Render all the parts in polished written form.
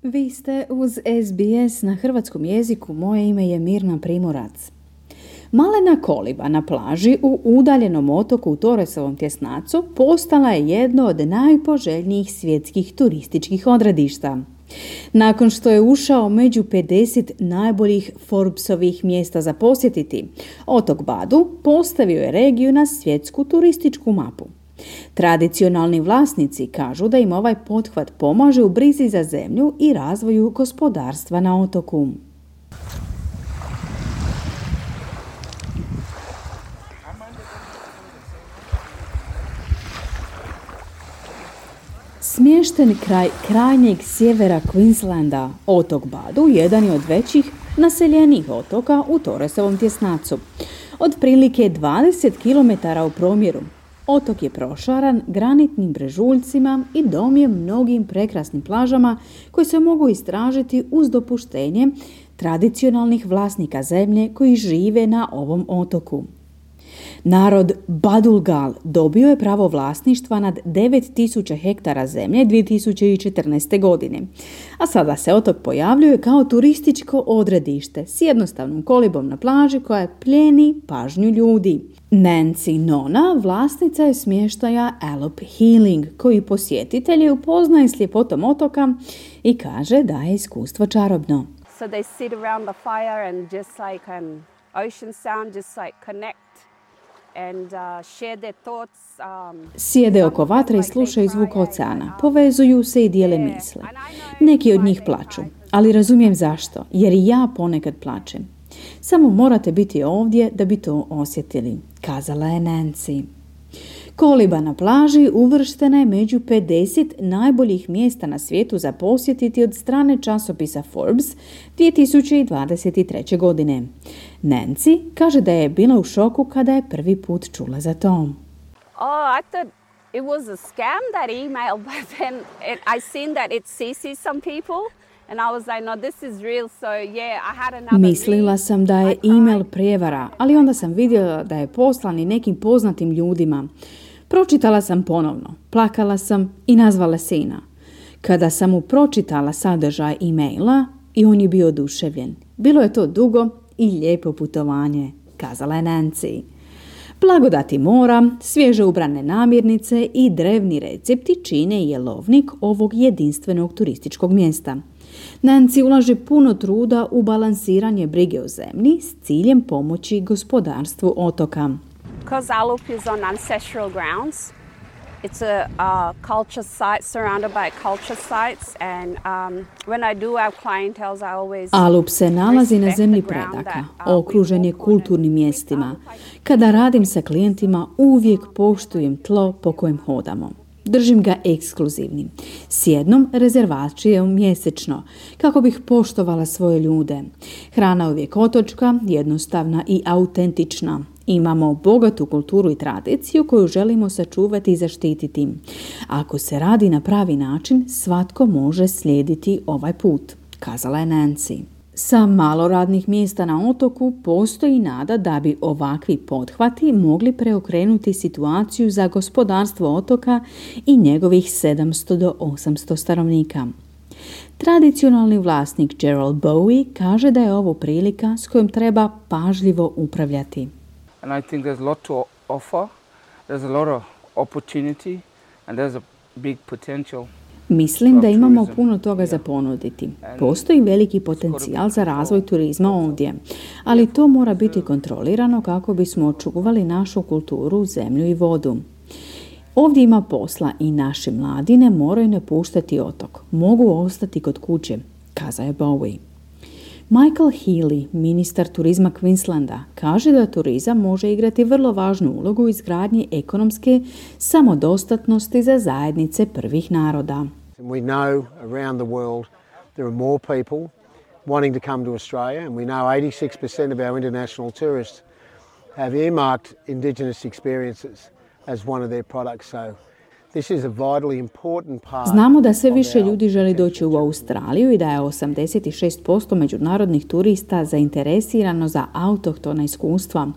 Vi ste uz SBS na hrvatskom jeziku. Moje ime je Mirna Primorac. Malena koliba na plaži u udaljenom otoku u Torresovom tjesnacu postala je jedno od najpoželjnijih svjetskih turističkih odredišta. Nakon što je ušao među 50 najboljih Forbesovih mjesta za posjetiti, otok Badu postavio je regiju na svjetsku turističku mapu. Tradicionalni vlasnici kažu da im ovaj pothvat pomaže u brizi za zemlju i razvoju gospodarstva na otoku. Smješten kraj krajnjeg sjevera Queenslanda, otok Badu jedan je od većih naseljenih otoka u Torresovom tjesnacu. Otprilike 20 km u promjeru. Otok je prošaran granitnim brežuljcima i dom je mnogim prekrasnim plažama koje se mogu istražiti uz dopuštenje tradicionalnih vlasnika zemlje koji žive na ovom otoku. Narod Badulgal dobio je pravo vlasništva nad 9000 hektara zemlje 2014. godine, a sada se otok pojavljuje kao turističko odredište s jednostavnom kolibom na plaži koja plijeni pažnju ljudi. Nancy Nona vlasnica je smještaja Allop Healing, koji posjetitelje upoznaje s ljepotom otoka i kaže da je iskustvo čarobno. So they sit around the fire and just like an ocean sound, just like connect. And, share their thoughts, Sjede oko vatre i slušaju zvuk oceana, povezuju se i dijele misle. Neki od njih plaču, ali razumijem zašto, jer i ja ponekad plačem. Samo morate biti ovdje da bi to osjetili, kazala je Nancy. Koliba na plaži uvrštena je među 50 najboljih mjesta na svijetu za posjetiti od strane časopisa Forbes 2023. godine. Nancy kaže da je bila u šoku kada je prvi put čula za to. Oh, I thought it was a scam, that email, but then I seen that it CC'd some people. And I was like, no, this is real, so yeah, I had another Mislila sam da je email prijevara, ali onda sam vidjela da je poslan i nekim poznatim ljudima. Pročitala sam ponovno, plakala sam i nazvala sina. Kada sam mu pročitala sadržaj e-maila, i on je bio oduševljen. Bilo je to dugo i lijepo putovanje, kazala je Nancy. Blagodati mora, svježe ubrane namirnice i drevni recepti čine jelovnik ovog jedinstvenog turističkog mjesta. Nancy ulaže puno truda u balansiranje brige o zemlji s ciljem pomoći gospodarstvu otoka. Because Allop is on ancestral grounds, it's a culture site surrounded by culture sites, and when I do have clientele, I always Allop se nalazi na zemlji predaka, okružen je kulturnim mjestima. Kada radim sa klijentima, uvijek poštujem tlo po kojem hodamo. Držim ga ekskluzivnim, s jednom rezervacijom mjesečno, kako bih poštovala svoje ljude. Hrana uvijek otočka, jednostavna i autentična. Imamo bogatu kulturu i tradiciju koju želimo sačuvati i zaštititi. Ako se radi na pravi način, svatko može slijediti ovaj put, kazala je Nancy. Sa malo radnih mjesta na otoku postoji nada da bi ovakvi pothvati mogli preokrenuti situaciju za gospodarstvo otoka i njegovih 700 do 800 stanovnika. Tradicionalni vlasnik Gerald Bowie kaže da je ovo prilika s kojom treba pažljivo upravljati. And I think there's a lot to offer, there's a lot of opportunity and there's a big potential. Mislim da imamo puno toga za ponuditi. Postoji veliki potencijal za razvoj turizma ovdje, ali to mora biti kontrolirano kako bismo očuvali našu kulturu, zemlju i vodu. Ovdje ima posla i naši mladi ne moraju napuštati otok. Mogu ostati kod kuće, kazao je Bowie. Michael Healy, ministar turizma Queenslanda, kaže da turizam može igrati vrlo važnu ulogu u izgradnji ekonomske samodostatnosti za zajednice prvih naroda. We know around the world there are more people wanting to come to Australia, and we know 86% of our international tourists have earmarked Indigenous experiences as one of their products. So This is a vitally important part. Znamo da sve više ljudi želi doći u Australiju i da je 86% međunarodnih turista zainteresirano za autohtona iskustva.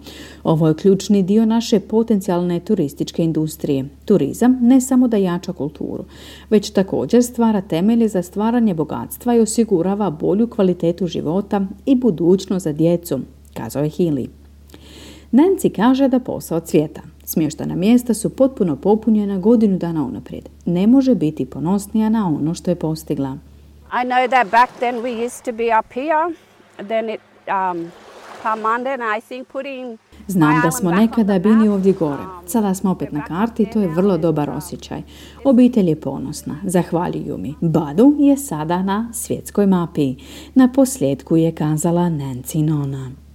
Ovo je ključni dio naše potencijalne turističke industrije. Turizam ne samo da jača kulturu, već također stvara temelje za stvaranje bogatstva i osigurava bolju kvalitetu života i budućnost za djecu, kazao je Healy. Nancy kaže da posao cvjeta. Smještana mjesta su potpuno popunjena godinu dana unaprijed. Ne može biti ponosnija na ono što je postigla. I know that back then we used to be up here, then it come under, and I think putting. Znam da smo nekada bili ovdje gore. Sada smo opet na karti i to je vrlo dobar osjećaj. Obitelj je ponosna. Zahvaljuju mi. Badu je sada na svjetskoj mapi. Na posljedku je kazala Nancy Nona.